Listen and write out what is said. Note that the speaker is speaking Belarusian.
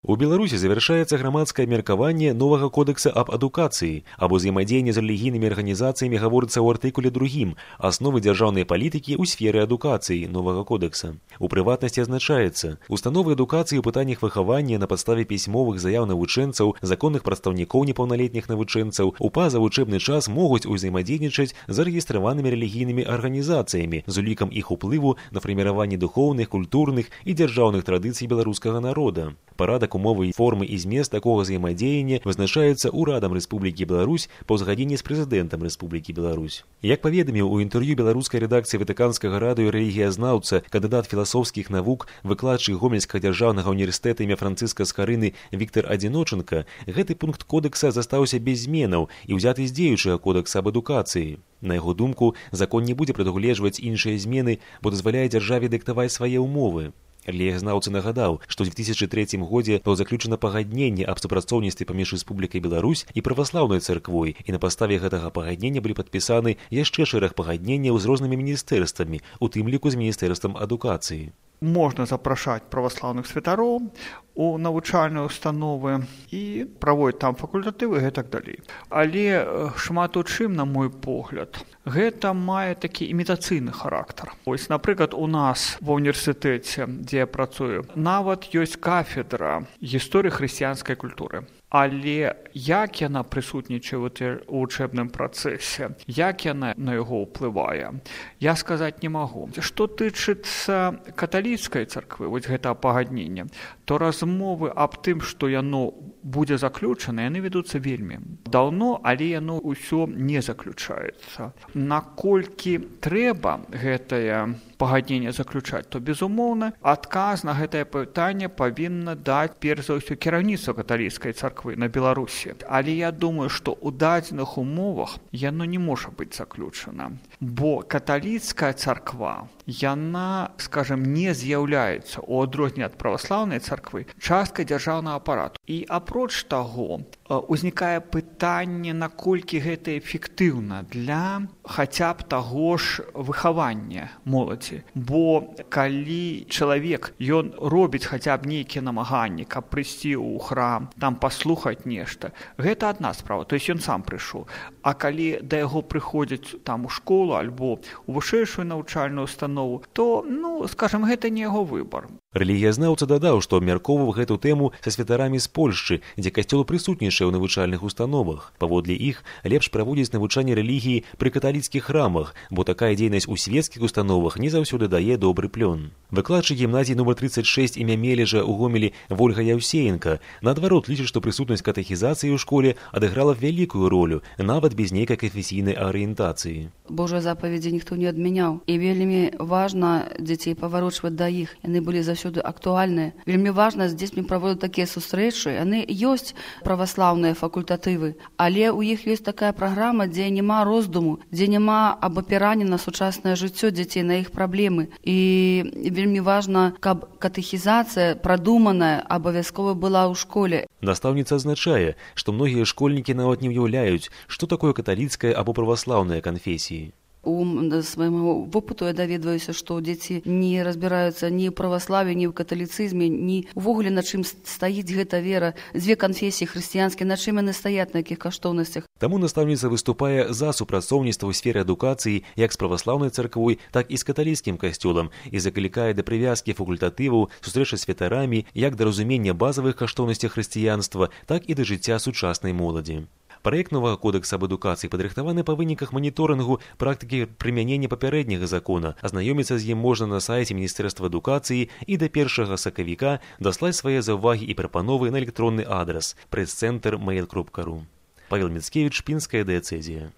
У Беларусі завяршаецца грамадскае меркаванне новага кодекса аб адукацыі. Аб узаемадзеянні з рэлігійнымі арганізацыямі гаворыцца ў артыкуле 2 «Асновы дзяржаўнай палітыкі ў сферы адукацыі» новага кодекса. У прыватнасці азначаецца, установы адукацыі ў пытаннях выхавання на падставе пісьмовых заяў навучэнцаў, законных прадстаўнікоў непаўналетніх навучэнцаў у пазавучэбны час могуць узаемадзейнічаць з зарэгістраванымі рэлігійнымі арганізацыямі з улікам іх уплыву на фарміраванне духоўных, культурных і дзяржаўных традыцый беларускага народа. Парадак, умовы, формы і змест такога взаемадзеяння вызначаюцца Урадам Рэспублікі Беларусь па ўзгадзенні з прэзідэнтам Рэспублікі Беларусь. Як паведаміў у інтэрв'ю беларускай рэдакцыі Ватыканскага радыё рэлігіязнаўца, кандыдат філасофскіх навук, выкладчык Гомельскага дзяржаўнага універсітэта імя Францыска Скарыны Віктар Адзіночанка, гэты пункт кодекса застаўся без зменаў і ўзяты з дзеючага кодекса аб адукацыі. На яго думку, закон не будзе прадугледжваць іншыя змены, бо дазваляе дзяржаве дыктаваць свае ўмовы. Рэлігіязнаўца нагадаў, што ў 2003 годзе было заключана пагадненне аб супрацоўніцтве паміж Рэспублікай Беларусь і праваслаўнай царквой, і на падставе гэтага пагаднення былі падпісаны яшчэ шэраг пагадненняў з рознымі міністэрствамі, у тым ліку з міністэрствам адукацыі. Можна запрашаць праваслаўных святароў у навучальныя установы і праводзіць там факультатывы і гэтак далей. Але шмат у чым, на мой погляд, гэта мае такі імітацыйны характар. Вось, напрыклад, у нас ва універсітэце, дзе я працую, нават ёсць кафедра гісторыі хрысціянскай культуры. Але як яна прысутнічае ў вучэбным працэсе, як яна на яго ўплывае, я сказаць не магу. Што тычыцца каталіцкай царквы, вось гэта пагаднення, то размовы аб тым, што яно будзе заключана, яны вядуцца вельмі даўно, але яно ўсё не заключаецца. Наколькі трэба гэтае пагадненне заключаць, то, безумоўна, адказ на гэтае пытанне павінна даць, перш за ўсё, кіраўніцтва каталіцкай царквы на Беларусі. Але я думаю, што ў дадзеных умовах яно не можа быць заключана. Бо каталіцкая царква, яна, скажем, не з'яўляецца, у адрозненне ад праваслаўнай царквы, часткай дзяржаўнага апарату. І апроч таго, узнікае пытанне, наколькі гэта эфектыўна для хаця б таго ж выхавання моладзі. Бо калі чалавек, ён робіць хаця б нейкія намаганні, каб прыйсці ў храм, там паслухаць нешта, гэта адна справа, то есть ён сам прыйшоў. А калі да яго прыходзяць там у школу альбо у вышэйшую навучальную установу, то, скажем, гэта не яго выбар. Рэлігіязнаўца дадаў, што абмяркоўваў гэту тэму са святарамі з Польшчы, дзе касцёл прысутнічае ў навучальных установах. Паводле іх, лепш праводзіць навучанне рэлігіі пры каталіцкіх храмах, бо такая дзейнасць у свецкіх установах не заўсёды дае добры плён. Выкладчык гімназіі нумар 36 імя Мележа ў Гомелі Вольга Яўсеенка, наадварот, лічыць, што прысутнасць катэхізацыі ў школе адыграла вялікую ролю, нават без нейкай канфесійнай арыентацыі. Божыя запаведзі ніхто не адмяняў. І вельмі важна дзяцей паварочваць да іх. Яны былі заўсёды актуальныя. Вельмі важна з дзецьмі праводзіць такія сустрэчы. Яны ёсць праваслаўныя факультатывы, але ў іх ёсць такая праграма, дзе няма роздуму, дзе няма абапірання на сучаснае жыццё дзяцей, на іх праблемы. І вельмі важна, каб катэхізацыя прадуманая абавязкова была ў школе. Настаўніца адзначае, што многія школьнікі нават не ўяўляюць, што такое каталіцкая або праваслаўная канфесіі. У свайму вопыту я даведваюся, што дзеці не разбіраюцца ні ў праваславе, ні ў каталіцызме, ні ўвогуле на чым стаіць гэта вера. Дзве канфесіі хрысціянскія, на чым яны стаяць, на якіх каштоўнасцях. Таму настаўніца выступае за супрацоўніцтва ў сферы адукацыі як з праваслаўнай царквой, так і з каталіцкім касцёлам і заклікае да прывязкі факультатываў, сустрэчы з святарамі як да разумення базавых каштоўнасцей хрысціянства, так і да жыцця сучаснай моладзі. Праект новага кодекса аб адукацыі падрыхтаваны па выніках маніторынгу практыкі прымянення папярэдняга закона. Азнаёміцца з ім можна на сайце Міністэрства адукацыі і да 1 сакавіка даслаць свае заўвагі і прапановы на электронны адрас прэс-цэнтр mail.ru. Павел Міцкевіч, Пінская дыяцэзія.